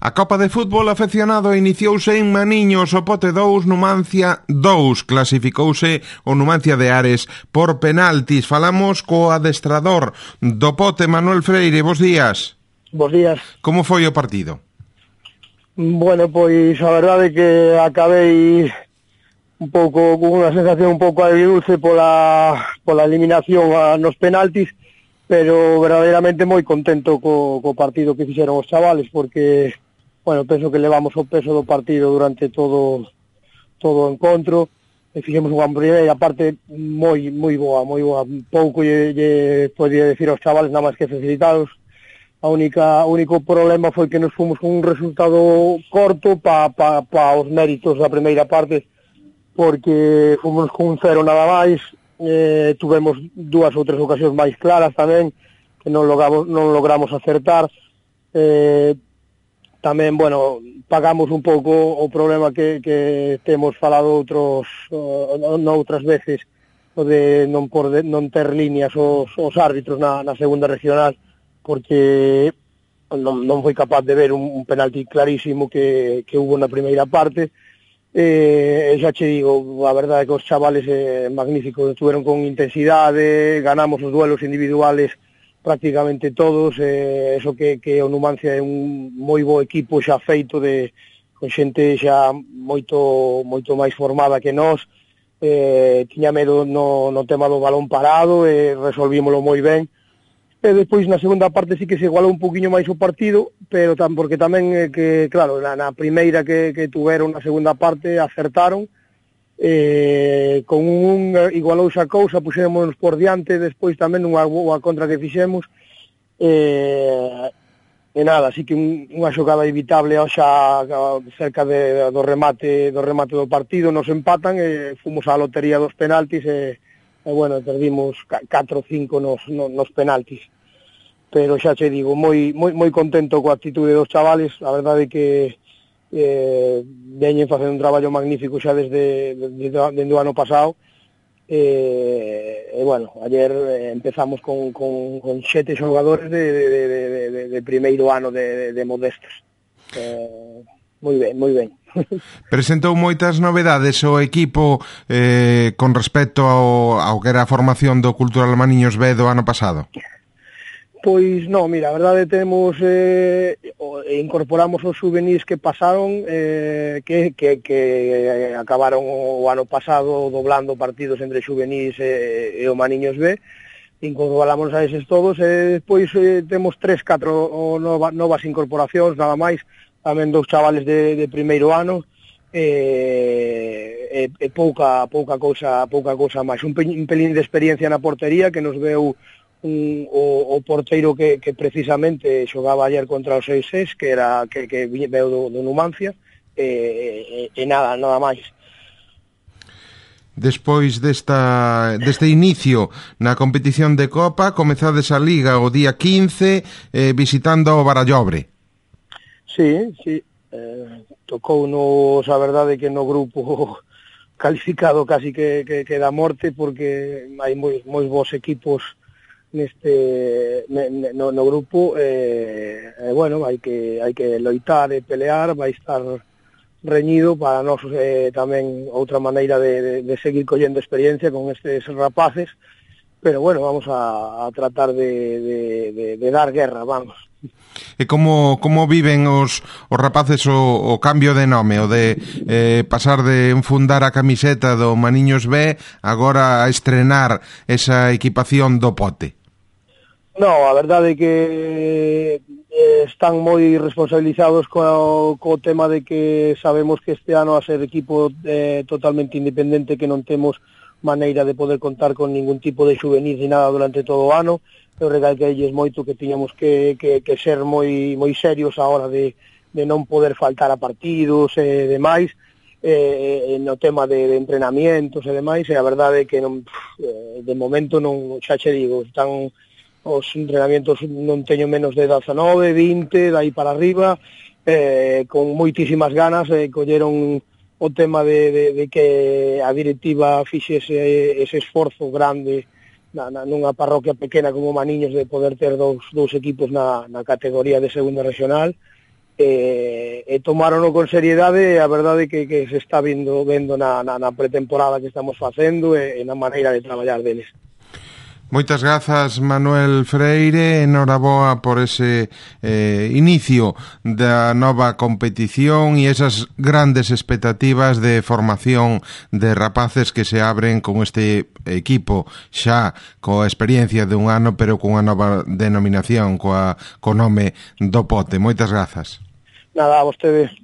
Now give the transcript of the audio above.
A Copa de Fútbol Afeccionado iniciouse en Maniños, o Pote 2, Numancia 2. Clasificouse o Numancia de Ares por penaltis. Falamos co adestrador do Pote, Manuel Freire. Bos días. Bos días. Como foi o partido? Bueno, pois a verdade é que acabei un pouco con unha sensación un pouco agridulce pola eliminación nos penaltis, pero verdadeiramente moi contento co partido que fixeron os chavales, porque, bueno, penso que levamos o peso do partido durante todo o encontro, e fixemos unha primeira parte moi boa, pouco lle podía decir aos chavales nada máis que felicitados. O único problema foi que nos fomos con un resultado corto pa os méritos da primeira parte, porque fomos con un 0 nada máis. Tuvemos 2 ou 3 ocasións máis claras tamén que non logramos acertar. Tamén, bueno, pagamos un pouco o problema que temos falado noutras veces, o de non ter líneas os árbitros na segunda regional, porque non foi capaz de ver un penalti clarísimo que hubo na primeira parte. Xa che digo, a verdade é que os chavales magníficos, estuveron con intensidade, ganamos os duelos individuales prácticamente todos, eso que o Numancia é un moi bo equipo xa feito, con xente xa moito máis formada que nós. Tiña medo no tema do balón parado e resolvímolo moi ben. E despois na segunda parte sí que se igualou un poquinho máis o partido, pero porque tamén que, claro, na primeira que tuveron na segunda parte acertaron, con un igualouse a cousa, puxémonos por diante, despois tamén unha contra que fixemos, e nada, así que unha xogada evitable xa cerca do remate do partido, nos empatan e fomos á lotería dos penaltis e bueno, perdimos 4-5 nos penaltis. Pero xa che digo, moi contento coa actitude dos chavales. A verdade é que veñen facendo un traballo magnífico xa desde o ano pasado. E bueno, ayer empezamos con 7 xogadores de primeiro ano de modestos. Moi ben. Presentou moitas novedades o equipo con respecto ao que era a formación do Cultural Maniños B do ano pasado. Pois non, mira, a verdade temos incorporamos os juvenis que pasaron, que acabaron o ano pasado doblando partidos entre juvenis e o Maniños B. Incorporamos a eses todos e despois temos 3-4 novas incorporacións, nada máis, tamén 2 chavales de primeiro ano, e pouca cousa máis. Un pelín de experiencia na portería que nos veu o porteiro que precisamente xogaba ayer contra o 6-6, que veu do Numancia, e nada máis. Despois deste inicio na competición de Copa, comezades a Liga o día 15 visitando o Barallobre. Sí, tocounos, a verdade, que no grupo calificado casi que da morte, porque hai moi bons equipos no grupo, bueno, hai que loitar e pelear, vai estar reñido para nós, tamén outra maneira de seguir collendo experiencia con estes rapaces, pero bueno, vamos a tratar de dar guerra, vamos. E como viven os rapaces o cambio de nome, o de pasar de enfundar a camiseta do Maniños B agora a estrenar esa equipación do Pote? No, a verdade é que están moi responsabilizados co tema de que sabemos que este ano a ser equipo totalmente independente, que non temos maneira de poder contar con ningún tipo de juvenil ni nada durante todo o ano. Eu recalqueilles moito que tiñamos que ser moi serios a hora de non poder faltar a partidos e demais, no tema de entrenamientos e demais, e a verdade é que de momento non, xa che digo, están os entrenamientos, non teño menos de 19, 20, dai para arriba, con moitísimas ganas, colleron o tema de que a directiva fixese ese esforzo grande nunha parroquia pequena como Maniños de poder ter dous equipos na categoría de segunda regional, tomaron con seriedade, e a verdade que se está vendo na pretemporada que estamos facendo e na maneira de traballar deles. Moitas grazas, Manuel Freire, enhoraboa por ese inicio da nova competición e esas grandes expectativas de formación de rapaces que se abren con este equipo xa coa experiencia de un ano, pero cunha nova denominación, co nome do Pote. Moitas grazas. Nada, a vostedes.